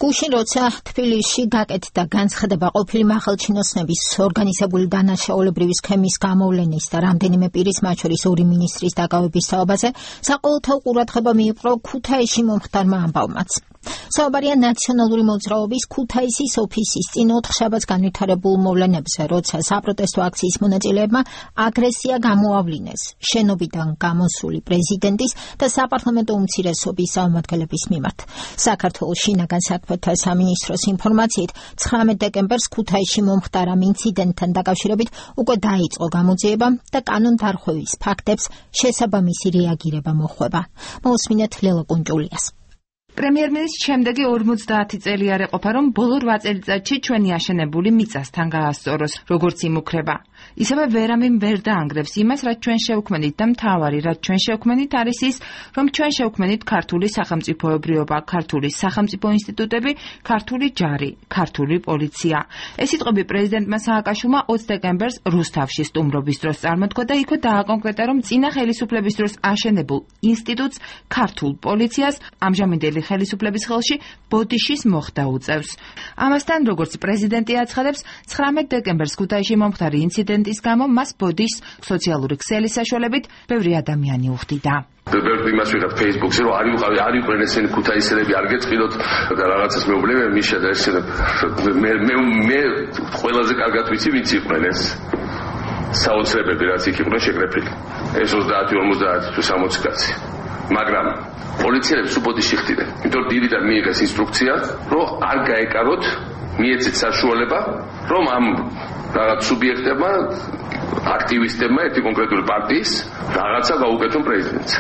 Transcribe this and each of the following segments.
გუშინ როცა თბილისში გაკეთდა განცხადება ყოფილი მაღალჩინოსნების ორგანიზებული დანაშაულებრივი სქემის გამოვლენის და რამდენიმე პირის, მათ შორის 2 მინისტრის დაკავების საუბარზე, საყოველთაო ყურადღება მიიპყრო ქუთაისში მომხდარმა ამბავმაც. საუბარია ნაციონალური მოძრაობის ქუთაისის ოფისის წინ 4 შაბათს განვითარებულ მოვლენებზე, როცა საპროტესტო აქციის მონაწილეებმა აგრესია გამოავლინეს შენობიდან გამოსული პრეზიდენტის და საპარლამენტო უმცირესობის წარმომადგენლების მიმართ. საქართველოს შინაგან საქმეთა სამინისტროს ინფორმაციით 19 დეკემბერს ქუთაისში მომხდარ ამ ინციდენტთან დაკავშირებით უკვე დაიწყო გამოძიება და კანონდარღვევის ფაქტებს შესაბამისი რეაგირება მოჰყვება. მოусმინეთ ლელა კუნჭულიას. პრემიერ-მინისტრის შემდეგი 50 წელი არ ეყოფა, რომ ბოლო 8 წელიწადში ჩვენი აშენებული მიწასთან გაასწოროს, როგორც იმუქრება. ისევე ვერავინ ვერ დაანგრევს იმას, რაც ჩვენ შევქმნით და მთავარი, რაც ჩვენ შევქმნით არის ის, რომ ჩვენ შევქმნით ქართული სახელმწიფოებრიობა, ქართული სახელმწიფო ინსტიტუტები, ქართული ჯარი, ქართული პოლიცია. ეს სიტყვები პრეზიდენტმა სააკაშვილმა 20 დეკემბერს რუსთავში სტუმრობის დროს წარმოთქვა და იქ დააკონკრეტა, რომ წინა ხელისუფლების დროს აშენებულ ინსტიტუტს, ქართულ პოლიციას ამჟამინდელი ხელისუფლების ხელში ბოდიშის მოხდა უწევს. ამასთან, როგორც პრეზიდენტი აცხადებს, 19 დეკემბერს ქუთაისში მომხდარი ინციდენტის გამო მას ბოდიშს სოციალური ქსელის საშუალებით ბევრი ადამიანი უხდიდა. ბევრი იმას ვიღებ Facebook-ზე, რომ არ იყვნენ ესენი ქუთაისელები, არ გეწყილოთ და რაღაცას მეუბნები, მიშა და ეს მე ყველაზე კარგად ვიცი, ვინც იყვნენ ეს საოცრებები, რაც იქ იყვნენ შეკრებილი. ეს 30-50 თუ 60 კაცი. მაგრამ პოლიციელებს უბოდიში ხდიდნენ. იმიტომ დილიდან მიიღეს ინსტრუქცია, რომ არ გაეკაროთ, მიეცეთ საშუალება, რომ ამ რაღაც სუბიექტებმა, აქტივისტებმა ერთი კონკრეტული პარტიის რაღაცა გაუკეთონ პრეზიდენტს.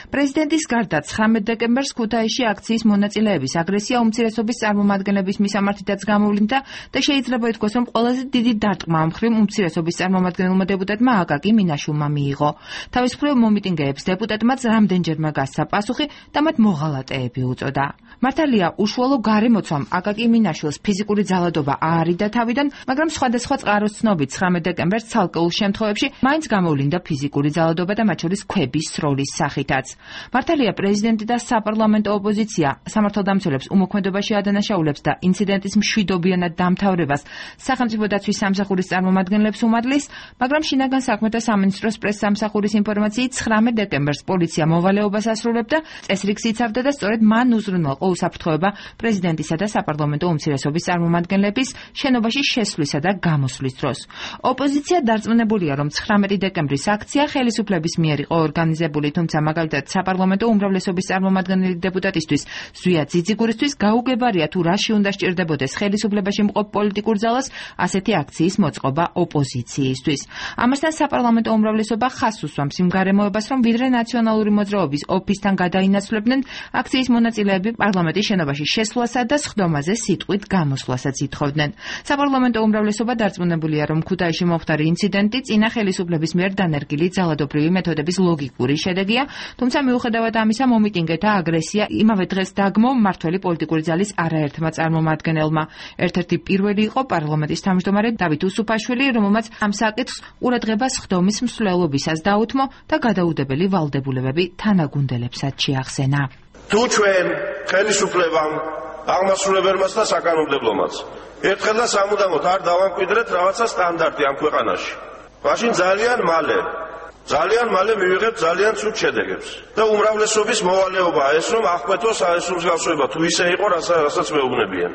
პრეზიდენტის გარდა 19 დეკემბერს ქუთაისში აქციის მონაწილეების აგრესია უმცირესობის წარმომადგენლების მისამართითაც გამოვლინდა და შეიძლება ითქვას, რომ ყველაზე დიდი დარტყმა მხრივ უმცირესობის წარმომადგენელმა დეპუტატმა აკაკი მინაშვილმა მიიღო. თავის მხრივ მომიტინგეებს დეპუტატმაც რამდენჯერმე გასცა პასუხი და მათ მოღალატეები უწოდა. მართალია, უშუალო გარემოცვამ აკაკი მინაშვილს ფიზიკური ძალადობა აარიდა თავიდან, მაგრამ სხვადასხვა წყაროს ცნობით 19 დეკემბერს ცალკეულ შემთხვევებში მაინც გამოვლინდა ფიზიკური ძალადობა და მათ შორის ქვების სროლის სახითაც. მართალია, პრეზიდენტი და საპარლამენტო ოპოზიცია სამართალდამცველებს უმოქმედებაში ადანაშაულებს და ინციდენტის მშვიდობიანად დამთავრებას სახელმწიფო დაცვის სამსახურის წარმომადგენლებს უმადლის, მაგრამ შინაგან საქმეთა სამინისტროს პრესსამსახურის ინფორმაციით 19 დეკემბერს პოლიცია მოვალეობას ასრულებდა, წესრიგს იცავდა და სწორედ მან უზრუნველყო უსაფრთხოება პრეზიდენტისა და საპარლამენტო უმცირესობის წარმომადგენლების შენობაში შესვლისა და გამოსვლის დროს. ოპოზიცია დარწმუნებულია, რომ 19 დეკემბრის აქცია ხელისუფლების მიერ იყო ორგანიზებული, თუმცა მაგალითად საპარლამენტო უმრავლესობის წარმომადგენელი დეპუტატისთვის ზვია ძიძიგურისთვის გაუგებარია თუ რაში უნდა სჭირდებოდეს ხელისუფლებაში მყოფ პოლიტიკურ ძალას ასეთი აქციის მოწყობა ოპოზიციისთვის. ამასთან საპარლამენტო უმრავლესობა ხაზს უსვამს იმ გარემოებას, რომ ვიდრე ნაციონალური მოძრაობის ოფისთან გადაინაცვლებდნენ, აქციის მონაწილეები პარლამენტის შენობაში შესვლასა და სხდომაზე სიტყვით გამოსვლასაც ითხოვდნენ. საპარლამენტო უმრავლესობა დარწმუნებულია, რომ ქუთაისში მომხდარი ინციდენტი წინა ხელისუფლების მიერ დანერგილი ძალადობრივი მეთოდების ლოგიკური შედეგია, თუმცა მიუხედავად ამისა მომიტინგეთა აგრესია იმავე დღეს დაგმო მმართველი პოლიტიკური ძალის არაერთმა წარმომადგენელმა. ერთ-ერთი პირველი იყო პარლამენტის თავმჯდომარე დავით უსუფაშვილი, რომელმაც ამ საკითხს ყურადღებას სხდომის მსვლელობისას დაუთმო და გადაუდებელი ვალდებულებები თანაგუნდელებსაც შეახსენა. თუ ჩვენ ხელისუფლებამ, აღმასრულებელმაც და საკანონმდებლომაც ერთხელ და სამუდამოდ არ დავამკვიდრეთ რაღაცა სტანდარტი ამ ქვეყანაში, მაშინ ძალიან მალე მივიღებთ ძალიან ცუდ შედეგებს. და უმრავლესობის მოვალეობაა ეს, რომ აღკვეთოს ეს მსგავსება თუ ისე იყო, რასაც მეუბნებიან.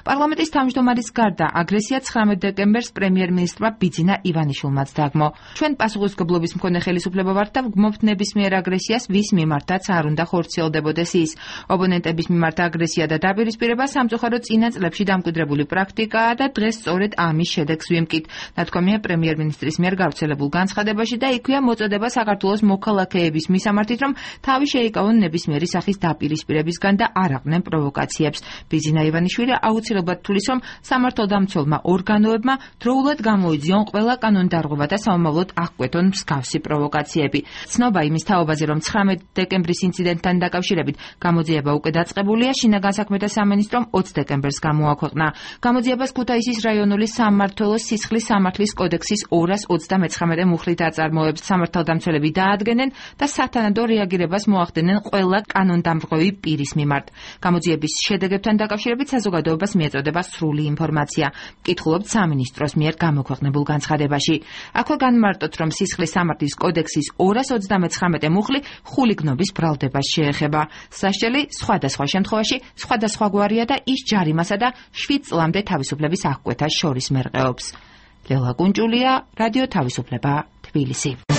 პარლამენტის თავმჯდომარის გარდა აგრესია 19 დეკემბერს პრემიერ-მინისტრმა ბიძინა ივანიშვილმაც დაგმო. ჩვენ პასუხისმგებლობის მქონე ხელისუფლება ვართ და ვგმობთ ნებისმიერ აგრესიას, ვის მიმართაც არ უნდა ხორციელდებოდეს ის. ოპონენტების მიმართ აგრესია და დაპირისპირება სამწუხაროდ წინა წლებში დამკვიდრებული პრაქტიკაა და დღეს სწორედ ამის შედეგს ვიმკით. ნათქვამია პრემიერ-მინისტრის მიერ გავრცელებულ განცხადებაში და იქვეა მოწოდება საქართველოს მოქალაქეების მისამართით, რომ თავი შეიკავონ ნებისმიერი სახის დაპირისპირებისგან და არ აყნენ პროვოკაციებს. ბიძინა ივანიშვილი აუცილებლად თulis, რომ სამართალდამცველმა ორგანოებმა დროულად გამოიძიონ ყველა კანონდარღვევა და სამომავლოდ აღკვეთონ მსგავსი პროვოკაციები. ცნობა იმის თაობაზე, რომ 19 დეკემბრის ინციდენტთან დაკავშირებით გამოძიება უკვე დაწყებულია, შინაგან საქმეთა სამინისტრომ 20 დეკემბერს გამოაქვეყნა. გამოძიებას ქუთაისის რაიონული სამმართველოს სისხლის სამართლის კოდექსის 229 მუხლით აწარმოებს სამართალდამცველები დაადგენენ და სათანადო რეაგირებას მოახდენენ ყველა კანონდამრღვევი პირის მიმართ. გამოძიების შედეგებთან დაკავშირებით საზოგადოებას მიეწოდება სრული ინფორმაცია. მკითხულობთ სამინისტროს მიერ გამოქვეყნებულ განცხადებაში. აქვე განმარტოთ, რომ სისხლის სამართლის კოდექსის 239 მუხლი ხულიგნობის ბრალდებას შეეხება. სასჯელი სხვადასხვა შემთხვევაში სხვადასხვაგვარია და ის ჯარიმასა და 7 წლამდე თავისუფლების აღკვეთას შორის მერყეობს. ლელა კუნჭულია, რადიო თავისუფლება, თბილისი.